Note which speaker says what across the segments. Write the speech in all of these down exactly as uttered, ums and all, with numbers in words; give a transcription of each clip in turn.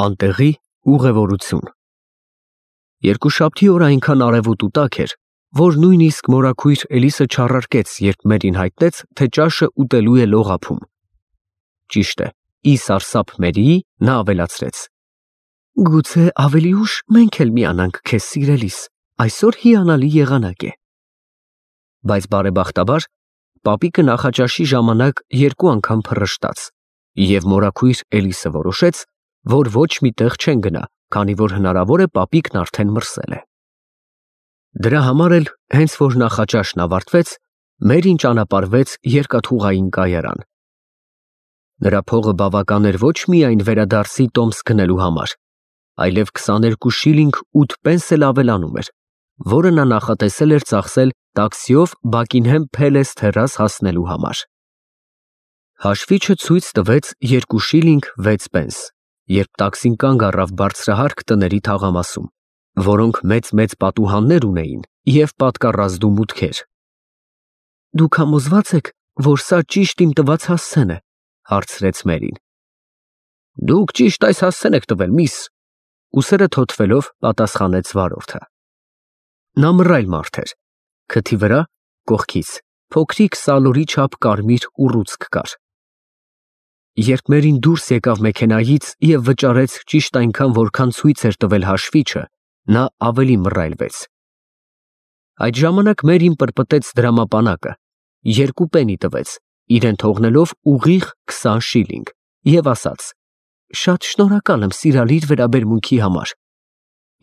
Speaker 1: Անտեղի ուղևորություն։ Երկուշաբթի օր այնքան արևոտ ու տաք էր, որ նույնիսկ մորաքույր Էլիսը չառարկեց, երբ Մերին հայտնեց, թե ճաշը ուտելու է լողափում։ Ճիշտ է, ի սարսափ Մերիի նա ավելացրեց. Գուցե ավելի ուշ մենք էլ միանանք քեզ սիրելիս, այսօր հիանալի եղանակ է։ Բայց բարեբախտաբար պապիկը նախաճաշի ժամանակ երկու անգամ փռշտաց, և մորաքույր Էլիսը որոշեց, որ ոչ մի տեղ չեն գնա, քանի որ հնարավոր է պապիկն արդեն մրսել է։ Դրա համար էլ, հենց որ նախաճաշն ավարտվեց, Մերին ճանապարհվեց երկաթուղային կայարան։ Նրա փողը բավական էր ոչ միայն վերադարձի տոմս գնելու համար, այլև քսաներկու շիլինգ ութ պենս էլ ավելանում էր, որը նա նախատեսել էր ծախսել տաքսիով Բաքինհեմ Փելես թեռաս հասնելու համար։ Հաշվիչը ցույց տվեց երկու շիլինգ վեց պենս, երբ տաքսին կանգ առավ բարձրահարկ տների թաղամասում, որոնք մեծ-մեծ պատուհաններ ունեին և պատկառազդու մուտքեր։ Դուք համոզվա՞ծ եք, որ սա ճիշտ իմ տված հասցեն է, հարցրեց Մերին։ Դուք ճիշտ այս հասցեն եք տվել, միս, ուսերը թոթվելով պատասխանեց վարորդը։ Նա մռայլ մարդ էր, քթի վրա, կողքից, փոքրիկ սալորի չափ կարմիր ուռուցք կար։ Երբ Մերին դուրս եկավ մեքենայից և վճարեց ճիշտ այնքան, որքան ցույց էր տվել հաշվիչը, նա ավելի մռայլվեց։ Այդ ժամանակ Մերին պրպտեց դրամապանակը, երկու պենի տվեց, իրեն թողնելով ուղիղ քսան շիլինգ, և ասաց. Շատ շնորհակալ եմ սիրալիր վերաբերմունքի համար,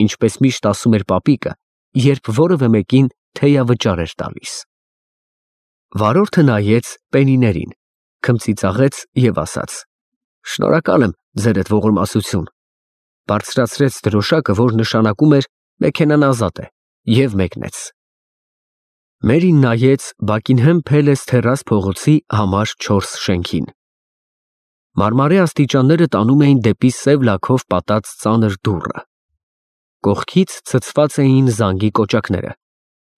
Speaker 1: ինչպես միշտ ասում էր պապիկը, երբ որևէ մեկին թեյավճար էր տալիս։ Վարորդը նայեց պենիներին, քմծիծաղեց և ասաց. Շնորհակալ եմ, ձերդ ողորմասություն, բարձրացրեց դրոշակը, որ նշանակում էր մեքենան ազատ է, և մեկնեց։ Մերին նայեց Բաքինհեմ Փելես թեռաս փողոցի համար չորս շենքին։ Մարմարե աստիճանները տանում էին դեպի սև լաքով պատած ծանր դուռը։ Կողքից ցցված էին զանգի կոճակները,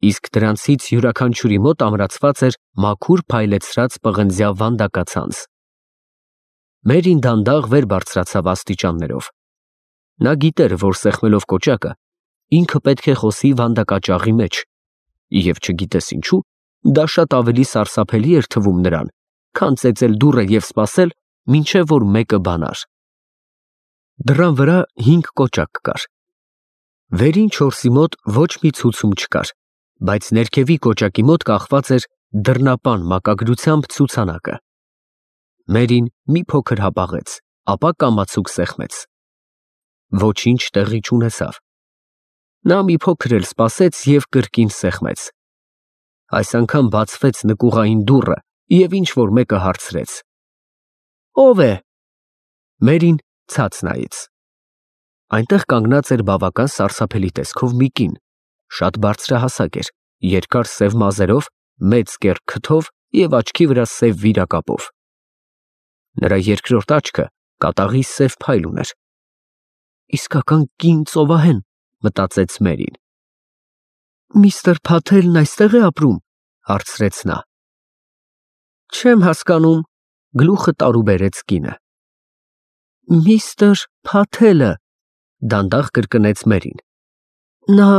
Speaker 1: իսկ դրանցից յուրաքանչյուրի մոտ ամրացված էր մաքուր փայլեցրած պղնձյա վանդակացանց։ Մերին դանդաղ վեր բարձրացավ աստիճաններով։ Նա գիտեր, որ սեղմելով կոճակը, ինքը պետք է խոսի վանդակաճաղի մեջ, և չգիտես ինչու, դա շատ ավելի սարսափելի էր թվում նրան, քան ծեծել դուռը և սպասել, մինչև որ մեկը բանար։ Դռան վրա հինգ կոճակ կար։ Վերին չորսի մոտ ոչ մի ցուցում չկար, բայց ներքևի կոճակի մոտ կախված էր դռնապան մակագրությամբ ցուցանակը։ Մերին մի փոքր հապաղեց, ապա կամացուկ սեղմեց։ Ոչինչ տեղի չունեցավ։ Նա մի փոքր էլ սպասեց և կրկին սեղմեց։ Այս անգամ բացվեց նկուղային դուռը, և ինչ-որ մեկը հարցրեց. Ո՞վ է։ Մերին ցած նայեց։ Այնտեղ կանգնած էր բավական սարսափելի տեսքով մի կին, շատ բարձրահասակ էր, երկար սև մազերով, մեծ կեռ քթով և աչքի վրա սև վիրակապով։ Նրա երկրորդ աչքը կատաղի սև փայլ ուներ։ Իսկական կին ծովահեն, մտածեց Մերին։ Միստր Փաթելն այստե՞ղ է ապրում, հարցրեց նա։ Չեմ հասկանում, գլուխը տարուբերեց կինը։ Միստր Փաթելը, դանդաղ կրկնեց Մերին։ Նա,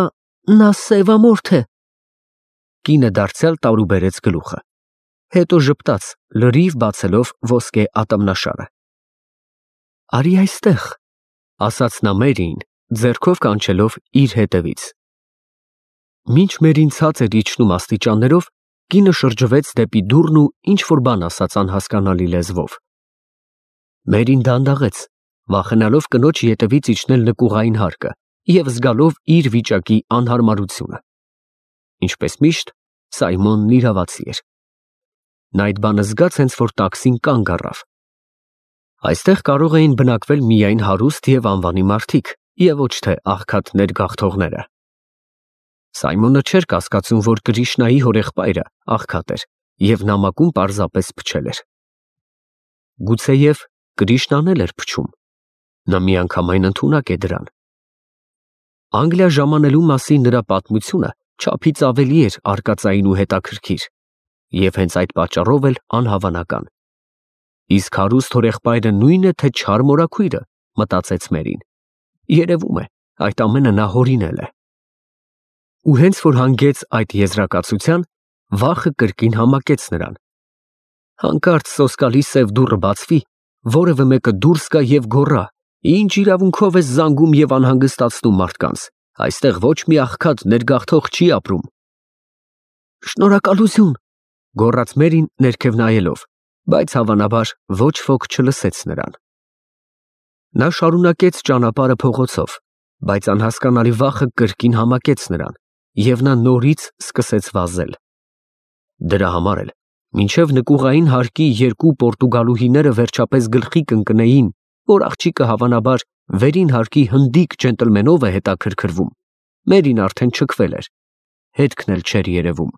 Speaker 1: նա սևամորթ է։ Կինը դարձյալ տարուբերեց գլուխը, հետո ժպտաց, լրիվ բացելով ոսկե ատամնաշարը։ Արի այստեղ, ասաց նա Մերիին, ձեռքով կանչելով իր հետևից։ Մինչ Մերին ցած էր իջնում աստիճաններով, կինը շրջվեց դեպի դուռն ու ինչ-որ բան ասաց անհասկանալի լեզվով։ Մերին դանդաղեց, վախենալով կնոջ ետևից իջնել նկուղային հարկը և զգալով իր վիճակի անհարմարությունը։ Ինչպես միշտ, Սայմոնն իրավացի էր։ Նա այդ բանը զգաց, հենց որ տաքսին կանգ առավ։ Այստեղ կարող էին բնակվել միայն հարուստ և անվանի մարդիկ, և ոչ թե աղքատներ գաղթողները։ Սայմոնը չէր կասկածում, որ Կրիշնայի հորեղբայրը աղքատ էր և նամակում պարզապես փչել էր։ Գուցեև Կրիշնան էլ էր փչում։ Նա միանգամայն ընդունակ է դրան։ Անգլիա ժամանելու մասին նրա պատմությունը չափից ավելի էր արկածային ու հետաքրքիր, և հենց այդ պատճառով էլ անհավանական։ Իսկ հարուստ հորեղբայրը նույն է, թե չար մորաքույրը, մտածեց Մերին։ Երևում է, այդ ամենը նա հորինել է։ Ու հենց որ հանգեց այդ եզրակացության, վախը կրկին համակեց նրան։ Հանկարծ սոսկալի սև դուռը բացվի, որևէ մեկը դուրս գա և գոռա. «Ինչ իրավունքով ես զանգում և անհանգստացնում մարդկանց, այստեղ ոչ մի աղքատ ներգաղթող չի ապրում»։ «Շնորհակալություն», գոռաց Մերին ներքև նայելով, բայց հավանաբար ոչ ոք չլսեց նրան։ Նա շարունակեց ճանապարհը փողոցով, բայց անհասկանալի վախը կրկին համակեց նրան, և նա նորից սկսեց վազել։ Դրա համար էլ, մինչև նկուղային հարկի երկու պորտուգալուհիները վերջապես գլխի կընկնեին, որ աղջիկը հավանաբար վերին հարկի հնդիկ ջենտլմենով է հետաքրքրվում, Մերին արդեն չքվել էր, հետքն էլ չէր երևում։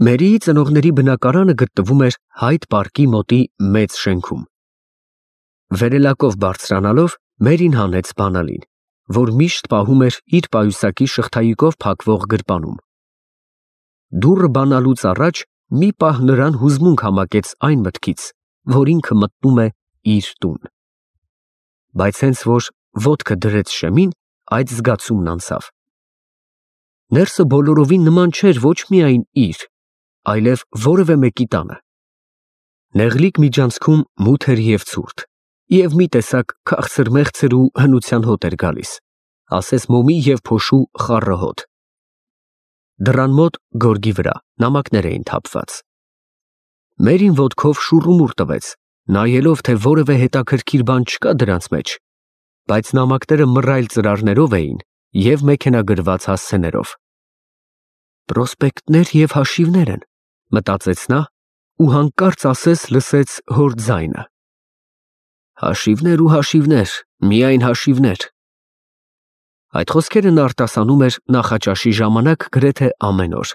Speaker 1: Մերիի ծնողների բնակարանը գտնվում էր Հայդ պարկի մոտի մեծ շենքում։ Վերելակով բարձրանալով Մերին հանեց բանալին, որ միշտ պահում էր իր պայուսակի շղթայիկով փակվող գրպանում։ Դուռը բանալուց առաջ մի պահ նրան հուզմունք համակեց այն մտքից, որ ինքը մտնում է իր տուն։ Բայց հենց որ ոտքը դրեց շեմին, այդ զգացումն անցավ։ Ներսը բոլորովին նման չէր ոչ միայն իր, այլև որևէ մեկի տանը։ Նեղլիկ միջանցքում մութ էր և ցուրտ, և մի տեսակ քաղցր-մեղցր ու հնության հոտ էր գալիս, ասես մոմի և փոշու խառը հոտ։ Դռան մոտ գորգի վրա նամակներ էին թափված։ Մերին ոտքով շուռումուռ տվեց, նայելով, թե որևէ հետաքրքիր բան չկա դրանց մեջ, բայց նամակները մռայլ ծրարներով էին և մեքենագրված հասցեներով։ Պրոսպեկտներ և հաշիվներ են, մտածեց նա ու հանկարծ ասես լսեց հոր ձայնը. «Հաշիվներ ու հաշիվներ, միայն հաշիվներ»։ Այդ խոսքերը նա արտասանում էր նախաճաշի ժամանակ գրեթե ամեն օր։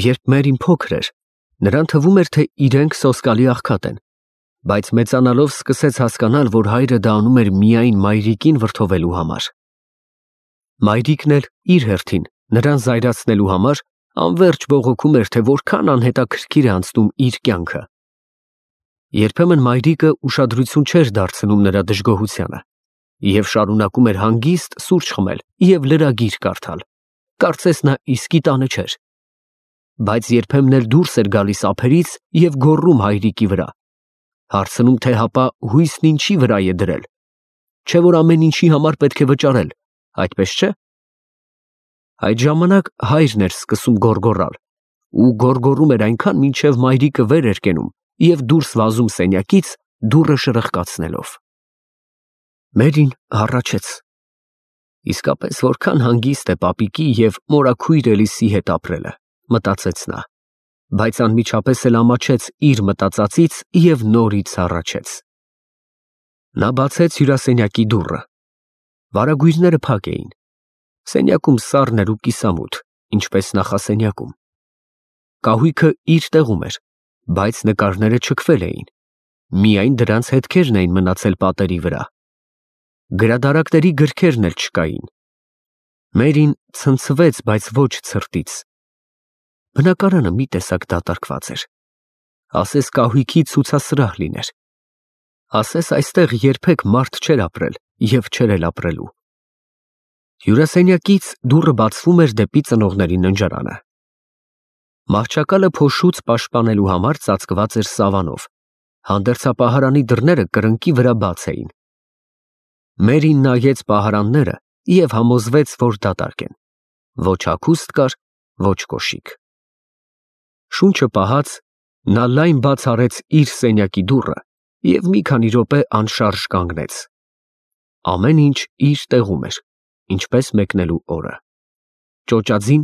Speaker 1: Երբ Մերին փոքր էր, նրան թվում էր, թե իրենք սոսկալի աղքատ են, բայց մեծանալով սկսեց հասկանալ, որ հայրը դա անում էր միայն մայրիկին վրդովելու համար։ Մայրիկն էլ իր հերթին նրան զայրացնելու համար անվերջ բողոքում էր, թե որքան անհետաքրքիր է անցնում իր կյանքը։ Երբեմն մայրիկը ուշադրություն չէր դարձնում նրա դժգոհությանը և շարունակում էր հանգիստ սուրճ խմել և լրագիր կարդալ, կարծես նա իսկի տանը չէր։ Բայց երբեմն էլ դուրս էր գալիս ափերից և գոռում հայրիկի վրա, հարցնում, թե հապա հույսն ինչի վրա է դրել, չէ՞ որ ամեն ինչի համար պետք է վճարել, այդպես չէ՞։ Այդ ժամանակ հայրն էր սկսում գոռգոռալ ու գոռգոռում էր այնքան, մինչև մայրիկը վեր էր կենում և դուրս վազում սենյակից, դուռը շրխկացնելով։ Մերին հառաչեց. իսկապես որքան հանգիստ է պապիկի և մորաքույր Էլիսի հետ ապրելը, մտածեց նա, բայց անմիջապես էլ ամաչեց իր մտածածից և նորից հառաչեց։ Նա բացեց հյուրասենյակի դուռը։ Վարագույրները փակ էին։ Սենյակում սառն էր ու կիսամութ, ինչպես նախասենյակում։ Կահույքը իր տեղում էր, բայց նկարները չքվել էին, միայն դրանց հետքերն էին մնացել պատերի վրա։ Գրադարանների գրքերն էլ չկային։ Մերին ցնցվեց, բայց ոչ ցրտից։ Բնակարանը մի տեսակ դատարկված էր, ասես կահույքի ցուցասրահ լիներ, ասես այստեղ երբեք մարդ չէր ապրել և չէր էլ ապրելու։ Հյուրասենյակից դուռը բացվում էր դեպի ծնողների ննջարանը։ Մահճակալը փոշուց պաշտպանելու համար ծածկված էր սավանով, հանդերձապահարանի դռները կրկնակի վրա բաց էին։ Մերին նայեց պահարանները և համոզվեց, որ դատարկ են, ոչ հագուստ կար, ոչ կոշիկ։ Շունչը պահած, նա լայն բաց արեց իր սենյակի դուռը և մի քանի րոպե անշարժ կանգնեց։ Ամեն ինչ իր տեղում էր, ինչպես մեկնելու օրը։ Ճոճաձին,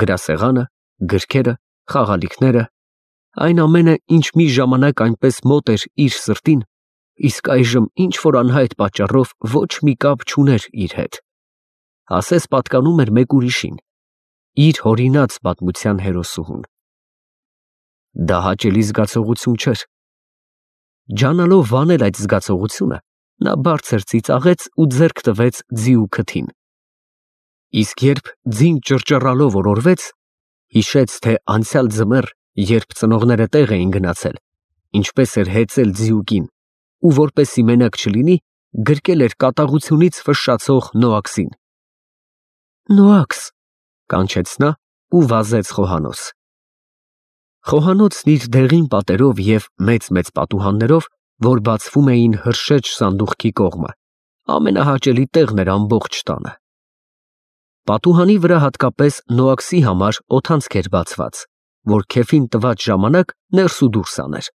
Speaker 1: գրասեղանը, գրքերը, խաղալիքները, այն ամենը, ինչ մի ժամանակ այնպես մոտ էր իր սրտին, իսկ այժմ ինչ-որ անհայտ պատճառով ոչ մի կապ չուներ իր հետ, ասես պատկանում էր մեկ ուրիշին, իր հորինած պատմության հերոսուհուն։ Դա հաճելի զգացողություն չէր։ Ջանալով վանել այդ զգացողությունը, նա բարձր ծիծաղեց ու ձեռք տվեց ձի ու քթին։ Իսկ երբ ձին ճռճռալով օրորվեց, հիշեց, թե անցյալ ձմեռ, երբ ծնողները տեղ էին գնացել, ինչպես էր հեծել ձիուկին ու որպեսի մենակ չլինի, գրկել էր կատաղությունից ֆշշացող Նոաքսին։ Նոաքս, կանչեց նա ու վազեց խոհանոց։ Խոհանոցն իր դեղին պատերով և մեծ-մեծ պատուհաններով, որ բացվում էին հրշեջ սանդուղքի կողմը, ամենահաճելի տեղն էր ամբողջ տանը։ Պատուհանի վրա հատկապես Նոաքսի համար օդանցք էր բացված, որ քեֆին տված ժամանակ ներս ու դուրս աներ։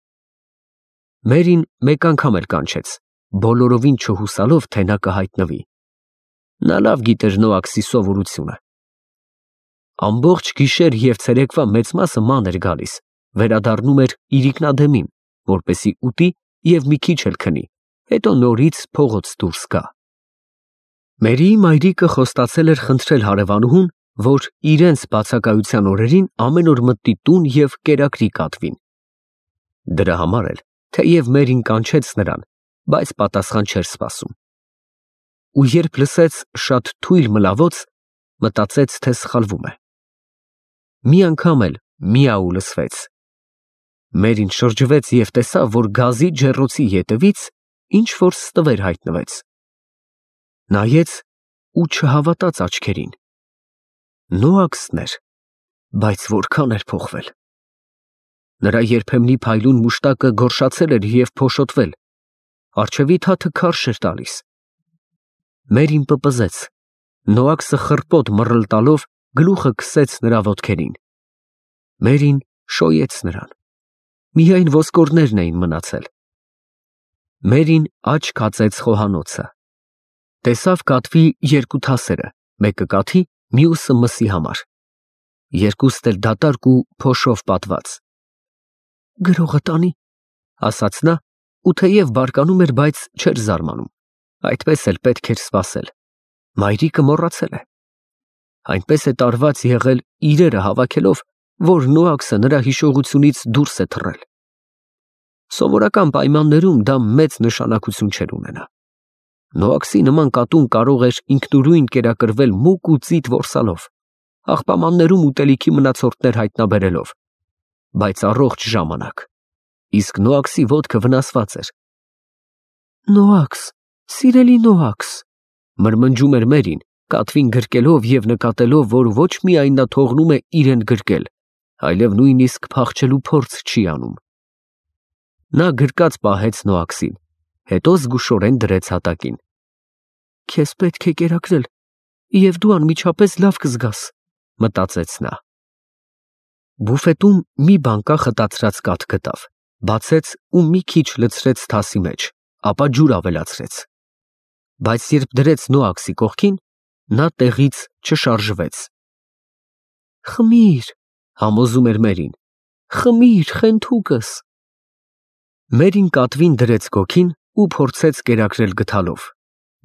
Speaker 1: Մերին մեկ անգամ էլ կանչեց, բոլորովին չհուսալով, թե նա կհայտնվի։ Նա լավ գիտեր Նոաքսի սովորությունը։ Ամբողջ գիշեր և ցերեկվա մեծ մասը ման էր գալիս, վերադառնում էր իր ինքնադեմին, որպեսզի ուտի և մի քիչ էլ քնի, հետո նորից փողոց դուրս գա։ Մերիի մայրիկը խոստացել էր խնդրել հարևանուհուն, որ իրենց բացակայության օրերին ամեն օր մտնի տուն և կերակրի կատվին։ Դրա համար էլ, թեև Մերին կանչեց նրան, բայց պատասխան չէր սպասում։ Ու երբ լսեց շատ թույլ մլավոց, մտածեց, թե սխալվում է։ Մի անգամ էլ միաու լսվեց։ Մերին շրջվեց և տեսավ, որ գազի ջեռոցի ետևից ինչ-որ ստվեր հայտնվեց։ Նայեց ու չհավատաց աչքերին։ Նոաքսն էր, բայց որքան էր փոխվել։ Նրա երբեմնի փայլուն մուշտակը գորշացել էր և փոշոտվել, առջևի թաթը քարշ էր տալիս։ Մերին պպզեց։ Նոաքսը խռպոտ մռլ տալով գլուխը քսեց նրա ոտքերին։ Մերին շոյեց նրան։ Միայն ոսկորներն էին մնացել։ Մերին աչք հացեց խոհանոցը։ Տեսավ կատվի երկու թասերը, մեկը կաթի, մյուսը մսի համար։ Երկուստ էլ դատարկ ու փոշով պատված։ Գրողը տանի, ասաց նա, ու թեև բարկանում էր, բայց չէր զարմանում։ Այդպես էլ պետք էր սպասել։ Մայրիկը մոռացել է։ Այնպես է տարված եղել իրերը հավաքելով, որ Նոաքսը նրա հիշողությունից դուրս է թռել։ Սովորական պայմաններում դա մեծ նշանակություն չէր ունենա։ Նոաքսի նման կատուն կարող էր ինքնուրույն կերակրվել մուկ ու ծիտ որսալով, աղբամաններում ուտելիքի մնացորդներ հայտնաբերելով, բայց առողջ ժամանակ, իսկ Նոաքսի ոտքը վնասված էր։ Նոաքս, սիրելի Նոաքս, մրմնջում էր Մերին, կատվին գրկելով և նկատելով, որ ոչ միայն նա թողնում է իրեն գրկել, այլև նույնիսկ փախչելու փորձ չի անում։ Նա գրկած պահեց Նոաքսին, հետո զգուշորեն դրեց հատակին։ Քեզ պետք է կերակրել, և դու անմիջապես լավ կզգաս, մտածեց նա։ Բուֆետում մի բանկա խտացրած կաթ գտավ, բացեց ու մի քիչ լցրեց թասի մեջ, ապա ջուր ավելացրեց։ Բայց երբ դրեց Նոաքսի կողքին, նա տեղից չշարժվեց։ Խմիր, համոզում էր Մերին, խմիր, խենթուկս։ Մերին կատվին դրեց գոգին ու փորձեց կերակրել գթալով,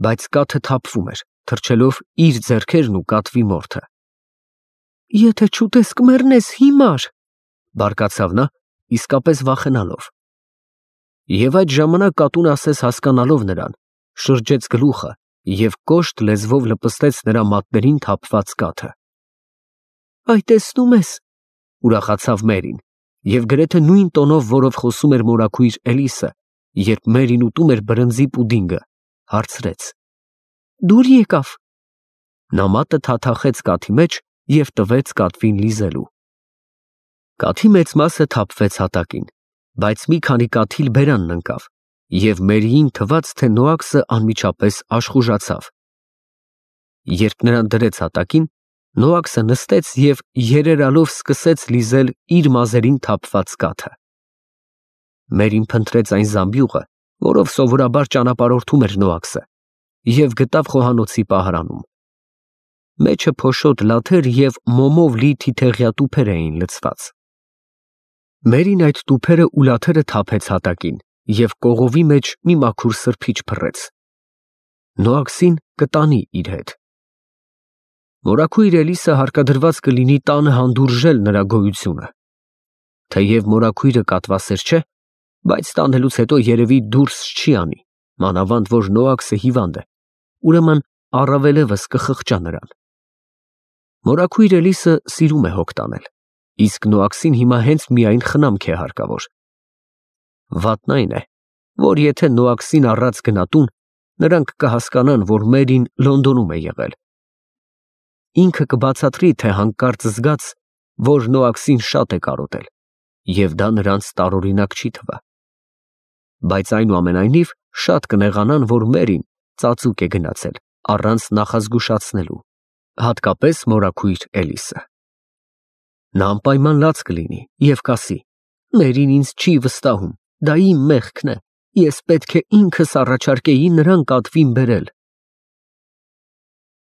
Speaker 1: բայց կաթը թափվում էր, թռչելով իր ձեռքերն ու կատվի մորթը։ Եթե չուտես կմեռնես հիմար, բարկացավ նա, իսկապես վախենալով։ Եվ այդ ժամանակ կատուն ասես հասկանալով նրան, շրջեց գլուխը և կոշտ լեզվով լպստեց նրա մատներին թափված կաթը։ Այ տեսնում ես, ուրախացավ Մերին, և գրեթե նույն տոնով, որով խոսում էր մորաքույր Էլիսը, երբ Մերին ուտում էր բրնձի պուդինգը, հարցրեց. Դուր եկավ։ Նա մատը թաթախեց կաթի մեջ և տվեց կատվին լիզելու։ Կաթի մեծ մասը թափվեց հատակին, բայց մի քանի կաթիլ բերանն ընկավ, և Մերիին թվաց, թե Նոաքսը անմիջապես աշխուժացավ։ Երբ նրան դրեց հատակին, Նոաքսը նստեց և երերալով սկսեց լիզել իր մազերին թափված կաթը։ Մերին փնտրեց այն զամբյուղը, որով սովորաբար ճանապարհորդում էր Նոաքսը, և գտավ խոհանոցի պահարանում։ Մեջը փոշոտ լաթեր և մոմով լի թիթեղյա տուփեր էին լցված։ Մերին այդ տուփերը ու լաթերը թափեց հատակին և կողովի մեջ մի մաքուր սրբիչ փռեց։ Նոաքսին կտանի իր հետ։ Մորաքույր Էլիսը հարկադրված կլինի տանը հանդուրժել նրա գոյությունը։ Թեև մորաքույրը կատվասեր չէ, բայց տանելուց հետո երևի դուրս չի անի, մանավանդ որ Նոաքսը հիվանդ է, ուրեմն առավելևս կխղճա նրան։ Մորաքույր Էլիսը սիրում է հոգ տանել, իսկ Նոաքսին հիմա հենց միայն խնամք է հարկավոր։ Վատն այն է, որ եթե Նոաքսին առած գնա տուն, նրանք կհասկանան, որ Մերին Լոնդոնում է եղել։ Ինքը կբացատրի, թե հանկարծ զգաց, որ Նոաքսին շատ է կարոտել, և դա նրանց տարօրինակ չի թվա։ Բայց այնուամենայնիվ շատ կնեղանան, որ Մերին ծածուկ է գնացել, առանց նախազգուշացնելու, հատկապես մորաքույր Էլիսը։ Նա անպայման լաց կլինի և կասի. «Մերին ինձ չի վստահում, դա իմ մեղքն է, ես պետք է ինքս առաջարկեի նրան կատվին բերել»։